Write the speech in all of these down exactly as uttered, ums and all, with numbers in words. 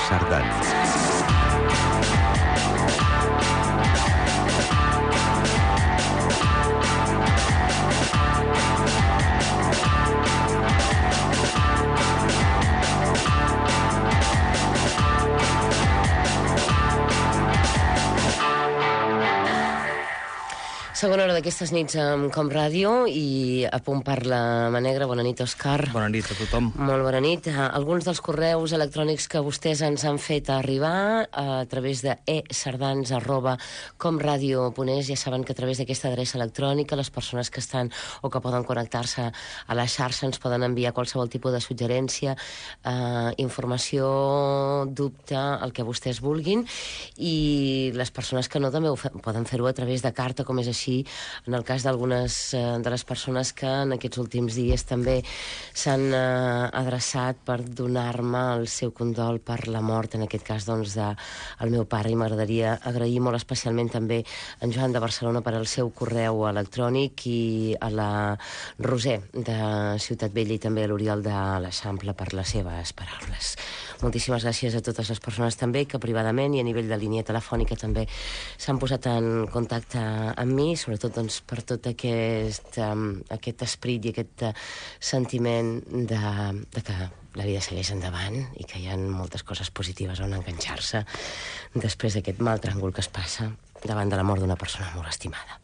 Sardans. Segona hora d'aquestes nits amb Com Ràdio i a punt parla Manegra. Bona nit, Òscar. Bona nit a tothom. Molt bona nit. Alguns dels correus electrònics que vostès ens han fet arribar a través de e sardans arroba comradio punt es, ja saben que a través d'aquesta adreça electrònica les persones que estan o que poden connectar-se a la xarxa ens poden enviar qualsevol tipus de suggerència, eh, informació, dubte, el que vostès vulguin, i les persones que no també ho fe- poden fer-ho a través de carta, com és així en el cas d'algunes eh, de les persones que en aquests últims dies també s'han eh, adreçat per donar-me el seu condol per la mort, en aquest cas doncs del meu pare, i m'agradaria agrair molt especialment també en Joan de Barcelona per al seu correu electrònic i a la Roser de Ciutat Vella i també a l'Oriol de l'Eixample per les seves paraules. Moltíssimes gràcies a totes les persones també que privadament i a nivell de línia telefònica també s'han posat en contacte amb mi, sobretot doncs, per tot aquest, um, aquest esperit i aquest uh, sentiment de, de que la vida segueix endavant i que hi ha moltes coses positives on enganxar-se després d'aquest mal tràngol que es passa davant de la mort d'una persona molt estimada.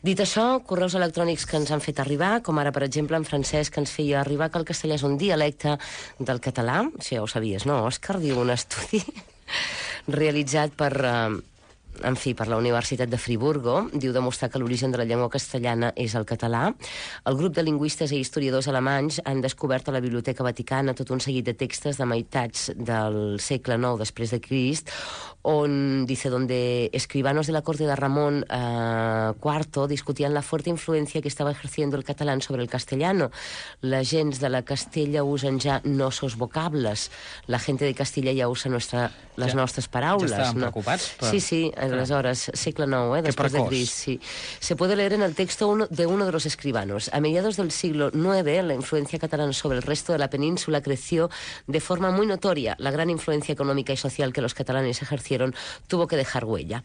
Dit això, correus electrònics que ens han fet arribar, com ara, per exemple, en Francesc, que ens feia arribar que el castellà és un dialecte del català. Això ja ho sabies, no, Òscar? Diu un estudi realitzat per... Uh, en fi, per la Universitat de Friburgo, diu demostrar que l'origen de la llengua castellana és el català. El grup de lingüistes i historiadors alemanys han descobert a la Biblioteca Vaticana tot un seguit de textos de meitats del segle nou després de Crist, on, dice, donde escribanos de la corte de Ramón eh, cuarto discutían la fuerte influencia que estaba ejerciendo el catalán sobre el castellano. La gens de la Castella usen ja nosos vocables. La gente de Castilla ya usa nuestra, les Ja- nostres paraules. ja estaven no? preocupats per- Sí, sí, aleshores, segle nou, eh, Qué después de precoz. Crist, sí. Se puede leer en el texto uno, de uno de los escribanos. A mediados del siglo nueve, la influencia catalana sobre el resto de la península creció de forma muy notoria. La gran influencia económica y social que los catalanes ejercieron tuvo que dejar huella.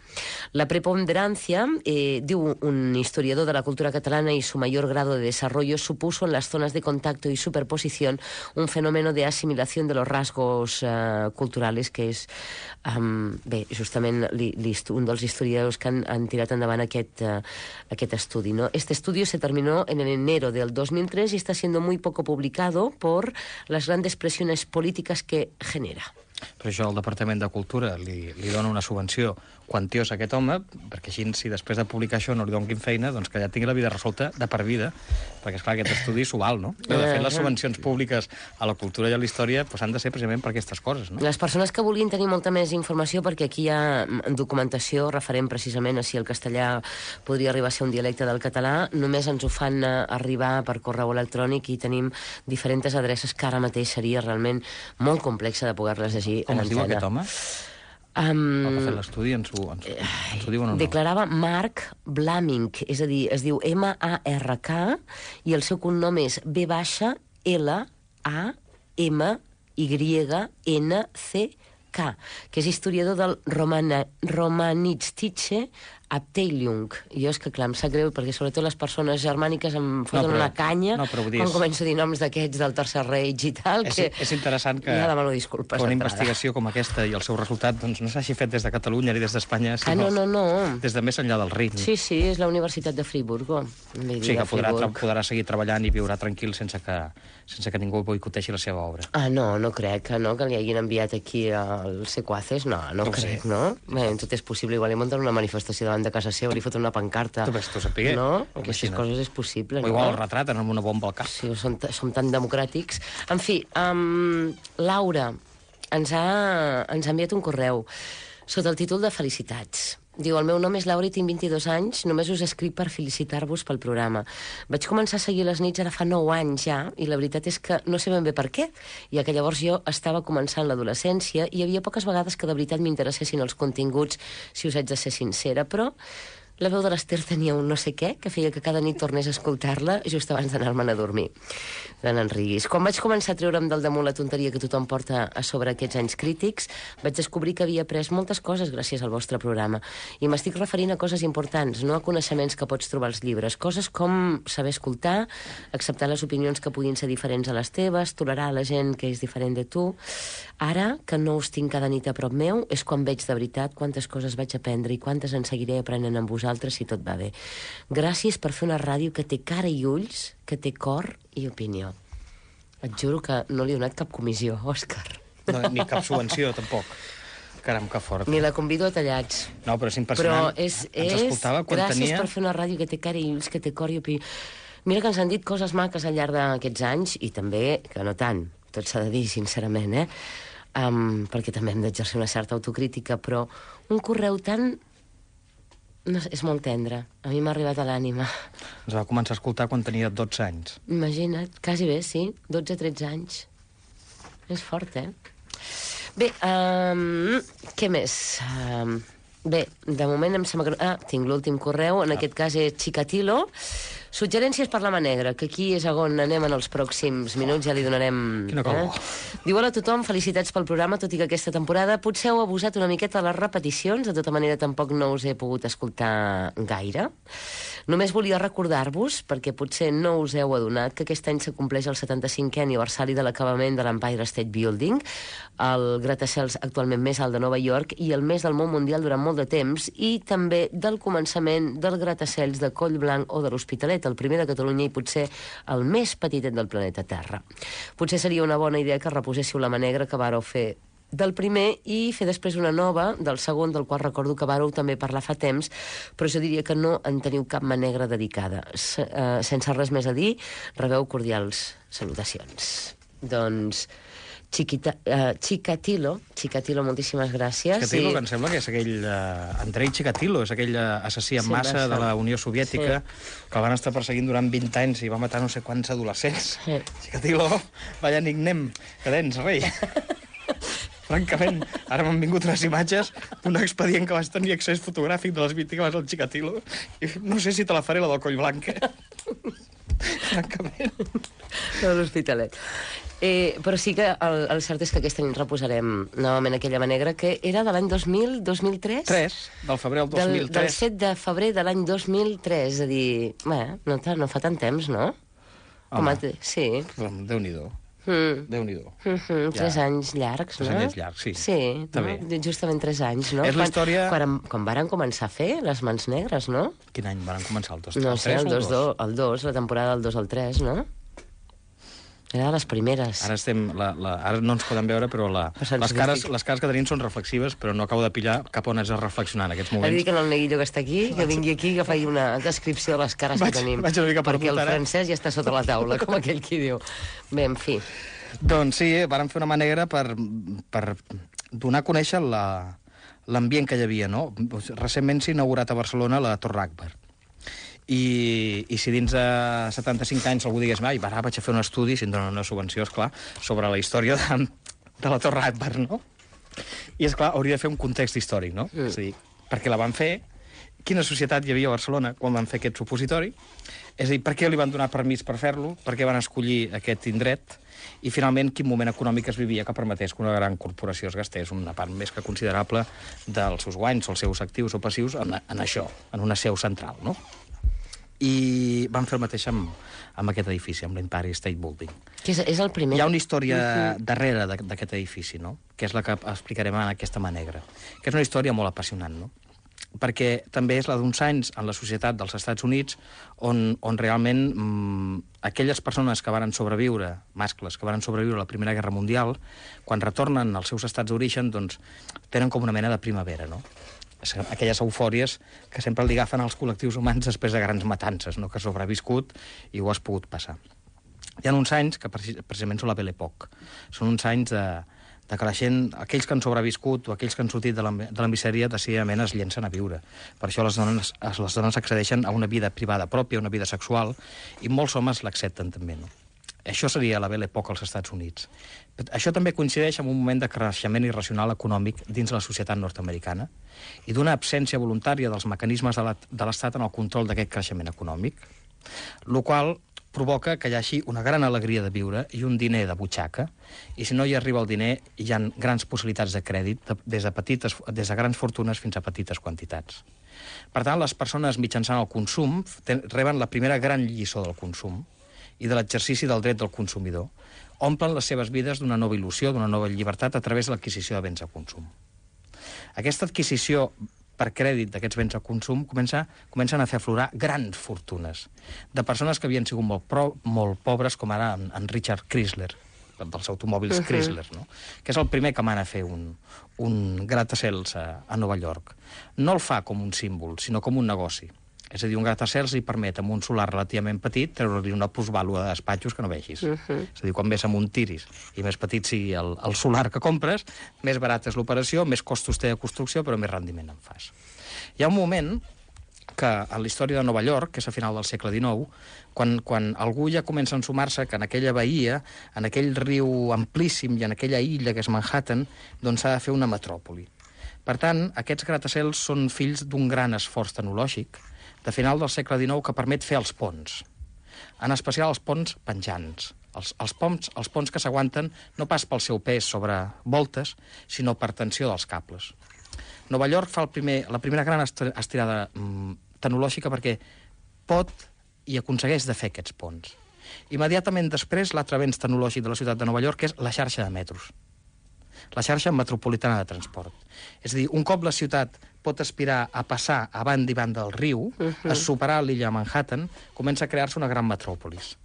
La preponderancia, eh, diu un historiador de la cultura catalana, y su mayor grado de desarrollo supuso en las zonas de contacto y superposición un fenómeno de asimilación de los rasgos eh, culturales que és, um, bé, justament li, li, un dels historiadors que han, han tirat endavant aquest, uh, aquest estudi, ¿no? Este estudio se terminó en enero del dos mil tres y está siendo muy poco publicado por las grandes presiones políticas que genera. Per això el Departament de Cultura li, li dona una subvenció quantiosa a aquest home, perquè així, si després de publicar això no li donin feina, doncs que ja tingui la vida resolta de per vida, perquè, esclar, aquest estudi s'ho val, no? I, de fet, les subvencions públiques a la cultura i a la història pues, han de ser precisament per aquestes coses, no? Les persones que vulguin tenir molta més informació, perquè aquí hi ha documentació referent precisament a si el castellà podria arribar a ser un dialecte del català, només ens ho fan arribar per correu electrònic i tenim diferents adreces que ara mateix seria realment molt complexa de poder-les llegir. Com es diu aquest home? Um, El que ha fet l'estudi ens ho, ens, ens ho diuen o no? Declarava Mark Blaming, és a dir, es diu M A R K i el seu cognom és B baixa L A M Y N C K, que és historiador del Romana, Romanistische Abteilung. Jo és que, clar, em sap greu, perquè sobretot les persones germàniques em foten No, però- una canya no, però vull dir, quan és- començo a dir noms d'aquests del Tercer Reich i tal, És, que és interessant que, ja demano disculpes que una d'entrada. investigació com aquesta i el seu resultat doncs, no s'hagi fet des de Catalunya ni des d'Espanya, Ah, sinó no, no, no. des de més enllà del Rin. Sí, sí, és la Universitat de Friburgo. O sigui que podrà, tra podrà seguir treballant i viurà tranquil sense que, sense que ningú boicoteixi la seva obra. Ah, no, no crec que no, que li hagin enviat aquí als sequaces, no, no No ho crec, sé. no? Bé, tot és possible, igual li munten una manifestació davant de casa seva, li foten una pancarta. Tu ves, tu sapigué. No? Aquestes Imagina't. coses és possible, O no? igual el retraten amb una bomba al cap. Sí, som, som tan democràtics. En fi, um, Laura ens ha, ens ha enviat un correu sota el títol de Felicitats. Diu, el meu nom és Laura i tinc vint-i-dos anys, només us escric per felicitar-vos pel programa. Vaig començar a seguir les nits ara fa nou anys ja, i la veritat és que no sé ben bé per què, ja que llavors jo estava començant l'adolescència i hi havia poques vegades que de veritat m'interessessin els continguts, si us haig de ser sincera, però la veu de l'Ester tenia un no sé què, que feia que cada nit tornés a escoltar-la just abans d'anar-me'n a dormir. De n'enriguis. Quan vaig començar a treure'm del damunt la tonteria que tothom porta a sobre aquests anys crítics, vaig descobrir que havia après moltes coses gràcies al vostre programa. I m'estic referint a coses importants, no a coneixements que pots trobar als llibres. Coses com saber escoltar, acceptar les opinions que puguin ser diferents a les teves, tolerar la gent que és diferent de tu. Ara, que no us tinc cada nit a prop meu, és quan veig de veritat quantes coses vaig aprendre i quantes en seguiré aprenent amb vosaltres si tot va bé. Gràcies per fer una ràdio que té cara i ulls, que té cor i opinió. Et juro que no li he donat cap comissió, Òscar. No, ni cap subvenció, tampoc. Caram, que fort. Ni la convido a tallats. No, però és impressionant. Però és, Ens és escoltava quan gràcies tenia... per fer una ràdio que té cara i ulls, que té cor i opinió. Mira que ens han dit coses maques al llarg d'aquests anys, i també, que no tant, tot s'ha de dir, sincerament, eh? Um, perquè també hem d'exercir una certa autocrítica, però un correu tan... No sé, és molt tendre. A mi m'ha arribat a l'ànima. Ens va començar a escoltar quan tenia dotze anys. Imagina't, quasi bé, sí. dotze tretze anys. És fort, eh? Bé, um, què més? Um, bé, de moment em sembla que... Ah, tinc l'últim correu, en ah. aquest cas és Chikatilo. Suggerències per la mà negra, que aquí és on anem en els pròxims minuts, ja li donarem... Quina cosa. Eh? Diu, hola a tothom, felicitats pel programa, tot i que aquesta temporada potser heu abusat una miqueta de les repeticions, de tota manera tampoc no us he pogut escoltar gaire. Només volia recordar-vos, perquè potser no us heu adonat, que aquest any s'acompleix el setanta-cinquè aniversari de l'acabament de l'Empire State Building, el gratacels actualment més alt de Nova York i el més del món mundial durant molt de temps, i també del començament del gratacels de Collblanc o de l'Hospitalet, el primer de Catalunya i potser el més petitet del planeta Terra. Potser seria una bona idea que reposéssiu la mà negra que vareu fer del primer i fer després una nova del segon, del qual recordo que vareu també parlar fa temps, però jo diria que no en teniu cap mà negra dedicada. S uh, sense res més a dir, rebeu cordials salutacions. Doncs... Chiquita, uh, Chikatilo, Chikatilo, moltíssimes gràcies. Chikatilo, sí. que em sembla que és aquell... Uh, Andrei Chikatilo, és aquell uh, assassí en Sí, massa basta. de la Unió Soviètica, Sí. que el van estar perseguint durant vint anys i va matar no sé quants adolescents. Sí. Chikatilo, vaya nickname que tens, rei. Francament, ara m'han vingut unes imatges d'un expedient que vas tenir accés fotogràfic de les víctimes del Chikatilo i no sé si te la faré, la del Collblanc. Francament. De l'Hospitalet. Eh, però sí que el, el cert és que aquesta nit reposarem novament aquella mà negra, que era de l'any dos mil, dos mil tres? tres, del febrer del dos mil tres. Del, del set de febrer de l'any dos mil tres, és a dir, bé, no, no fa tant temps, no? Home, a, sí. Déu-n'hi-do. Mm. Déu-n'hi-do. Mm -hmm, tres Ja. anys llargs, Tres no? anys llargs, sí. Sí, Està no? bé. Justament tres anys, no? És la història- Quan, quan, quan varen començar a fer les mans negres, no? Quin any van començar el dos? No el sé, tres el o el dos, dos? el dos, la temporada del dos al tres, no? Era de les primeres. Ara, estem, la, la, ara no ens poden veure, però la, Passant les, cares, sofistic. les cares que tenim són reflexives, però no acabo de pillar cap on has de reflexionar en aquests Ha de dir moments. que no el neguillo que està aquí, que vingui aquí i que faci una descripció de les cares Vaig- que tenim. vaig una mica perquè perdut el ara. francès ja està sota la taula, com aquell qui diu. Bé, en fi. Doncs sí, eh, vàrem fer una mà negra per, per donar a conèixer la- l'ambient que hi havia, no? Recentment s'ha inaugurat a Barcelona la Torre Akbar. I, i si dins de setanta-cinc anys algú digués, ai, ara vaig a fer un estudi, si em donen una subvenció, esclar, sobre la història de, de la Torre Akbar, no? I, esclar, hauria de fer un context històric, no? Mm. És a dir, perquè la van fer, quina societat hi havia a Barcelona quan van fer aquest supositori, és a dir, per què li van donar permís per fer-lo, per què van escollir aquest indret, i finalment quin moment econòmic es vivia que permetés que una gran corporació es gastés una part més que considerable dels seus guanys, els seus actius o passius, en, en això, en una seu central, no? I van fer el mateix amb, amb aquest edifici, amb l'Empire State Building. Que és, és el primer... Hi ha una història darrere de- d'aquest edifici, no? Que és la que explicarem en aquesta mà negra, que és una història molt apassionant, no? Perquè també és la d'uns anys en la societat dels Estats Units on, on realment mmm, aquelles persones que varen sobreviure, mascles, que varen sobreviure a la Primera Guerra Mundial, quan retornen als seus estats d'origen, doncs tenen com una mena de primavera, no? Aquelles eufòries que sempre li agafen als col·lectius humans després de grans matances, no? Que has sobreviscut i ho has pogut passar. Hi ha uns anys que precisament són la Belle Époque. Són uns anys de, de que la gent, aquells que han sobreviscut o aquells que han sortit de la, de la misèria, decididament es llencen a viure. Per això les dones, les dones accedeixen a una vida privada pròpia, una vida sexual, i molts homes l'accepten també, no? Això seria la Belle Époque als Estats Units. Això també coincideix amb un moment de creixement irracional econòmic dins la societat nord-americana i d'una absència voluntària dels mecanismes de l'Estat en el control d'aquest creixement econòmic, el qual provoca que hi hagi una gran alegria de viure i un diner de butxaca, i si no hi arriba el diner, hi ha grans possibilitats de crèdit, des de, petites, des de grans fortunes fins a petites quantitats. Per tant, les persones mitjançant el consum reben la primera gran lliçó del consum i de l'exercici del dret del consumidor, omplen les seves vides d'una nova il·lusió, d'una nova llibertat a través de l'adquisició de béns de consum. Aquesta adquisició per crèdit d'aquests béns de consum comença, comencen a fer aflorar grans fortunes de persones que havien sigut molt, pro, molt pobres, com ara en, en Richard Chrysler, dels automòbils uh -huh. Chrysler, no? Que és el primer que mana a fer un, un gratacels a, a Nova York. No el fa com un símbol, sinó com un negoci. És a dir, un gratacels li permet, amb un solar relativament petit, treure-li una plusvàlua de despatxos que no vegis. Uh -huh. És a dir, quan més amunt tiris i més petit sigui el, el solar que compres, més barata és l'operació, més costos té de construcció, però més rendiment en fas. Hi ha un moment que a la història de Nova York, que és a final del segle dinou, quan, quan algú ja comença a ensumar-se que en aquella bahia, en aquell riu amplíssim i en aquella illa que és Manhattan, doncs s'ha de fer una metròpoli. Per tant, aquests gratacels són fills d'un gran esforç tecnològic de final del segle dinou que permet fer els ponts. En especial els ponts penjants. Els, els, ponts, els ponts que s'aguanten no pas pel seu pes sobre voltes, sinó per tensió dels cables. Nova York fa el primer, la primera gran estirada mm, tecnològica perquè pot i aconsegueix de fer aquests ponts. Immediatament després, l'altre avenç tecnològic de la ciutat de Nova York és la xarxa de metros, la xarxa metropolitana de transport. És a dir, un cop la ciutat pot aspirar a passar a banda i banda del riu, uh -huh. a superar l'illa de Manhattan, comença a crear-se una gran metròpolis.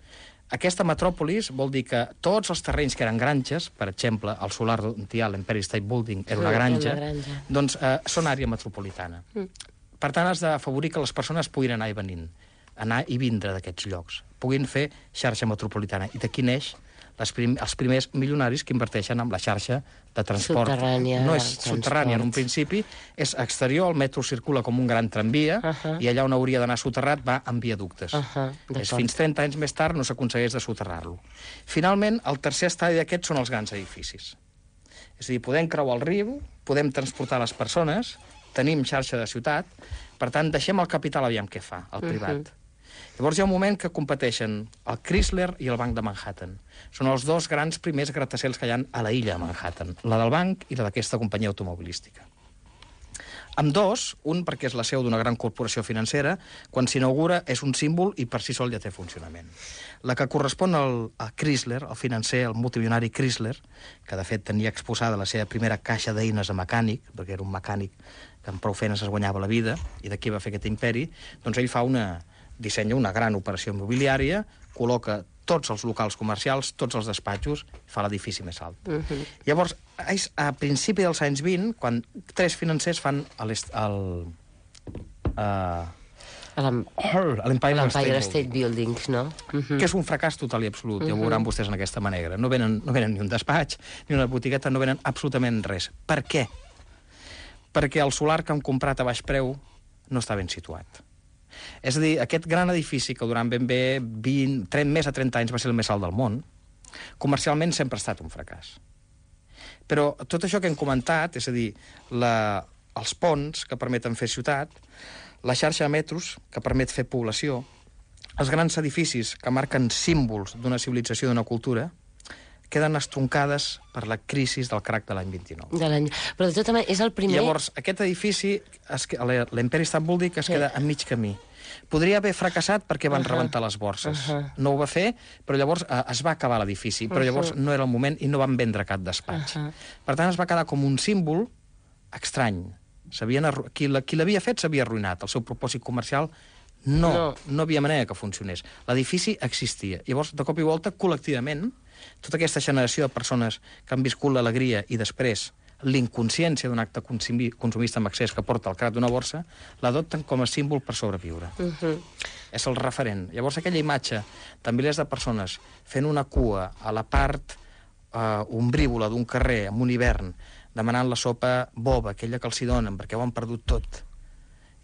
Aquesta metròpolis vol dir que tots els terrenys que eren granges, per exemple, el solar on hi ha l'Empire State Building era una granja, una granja. doncs eh, són àrea metropolitana. Mm. Per tant, has d'afavorir que les persones puguin anar i venint, anar i vindre d'aquests llocs, puguin fer xarxa metropolitana. I d'aquí neix les prim els primers milionaris que inverteixen en la xarxa de transport. Subterrània. No és subterrània en un principi, és exterior, el metro circula com un gran tramvia, uh -huh. i allà on hauria d'anar soterrat va en viaductes. Uh -huh. És fins trenta anys més tard no s'aconsegueix de soterrar-lo. Finalment, el tercer estadi d'aquests són els grans edificis. És a dir, podem creuar el riu, podem transportar les persones, tenim xarxa de ciutat, per tant, deixem el capital aviam què fa, el privat. Uh -huh. Llavors hi ha un moment que competeixen el Chrysler i el Banc de Manhattan. Són els dos grans primers gratacels que hi ha a la illa de Manhattan, la del banc i la d'aquesta companyia automobilística. Amb dos, un perquè és la seu d'una gran corporació financera, quan s'inaugura és un símbol i per si sol ja té funcionament. La que correspon al, al Chrysler, el financer, el multimilionari Chrysler, que de fet tenia exposada la seva primera caixa d'eines de mecànic, perquè era un mecànic que amb prou feines es guanyava la vida, i d'aquí va fer aquest imperi, doncs ell fa una... dissenya una gran operació immobiliària, col·loca tots els locals comercials, tots els despatxos, fa l'edifici més alt. Uh -huh. Llavors, a principi dels anys vint, quan tres financers fan el... Uh, l'Empire State, State Buildings, no? Uh -huh. Que és un fracàs total i absolut, uh -huh. ja ho veuran vostès en aquesta manera. No venen, no venen ni un despatx, ni una botigueta, no venen absolutament res. Per què? Perquè el solar que han comprat a baix preu no està ben situat. És a dir, aquest gran edifici que durant ben bé vint, trenta, més de trenta anys va ser el més alt del món, comercialment sempre ha estat un fracàs. Però tot això que hem comentat, és a dir, la, els ponts que permeten fer ciutat, la xarxa de metros que permet fer població, els grans edificis que marquen símbols d'una civilització, d'una cultura, queden estroncades per la crisi del crac de l'any vint-i-nou. De l'any... Però de tota manera, és el primer... Llavors, aquest edifici, l'Empire State Building, es queda a mig camí. Podria haver fracassat perquè van uh -huh. rebentar les borses. Uh -huh. No ho va fer, però llavors eh, es va acabar l'edifici, però llavors uh -huh. no era el moment i no van vendre cap despatx. Uh -huh. Per tant, es va quedar com un símbol estrany. Qui l'havia fet s'havia arruïnat. El seu propòsit comercial no, no. no havia manera que funcionés. L'edifici existia. Llavors, de cop i volta, col·lectivament, tota aquesta generació de persones que han viscut l'alegria i després l'inconsciència d'un acte consumista amb accés que porta al crac d'una borsa, l'adopten com a símbol per sobreviure. Uh -huh. És el referent. Llavors, aquella imatge de milers de persones fent una cua a la part eh, ombrívola d'un carrer en un hivern, demanant la sopa boba, aquella que els hi donen, perquè ho han perdut tot,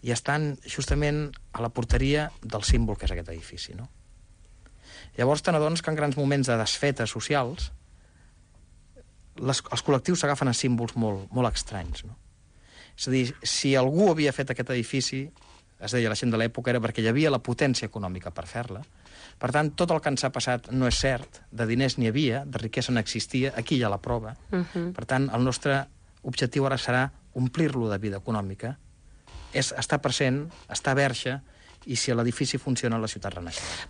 i estan justament a la porteria del símbol que és aquest edifici, no? Llavors te n'adones que en grans moments de desfetes socials les, els col·lectius s'agafen a símbols molt, molt estranys, no? És a dir, si algú havia fet aquest edifici, es deia la gent de l'època, era perquè hi havia la potència econòmica per fer-la. Per tant, tot el que ens ha passat no és cert, de diners n'hi havia, de riquesa n'existia, aquí hi ha la prova. Uh-huh. Per tant, el nostre objectiu ara serà omplir-lo de vida econòmica, és estar present, estar verge, i si l'edifici funciona, la ciutat renaixerà.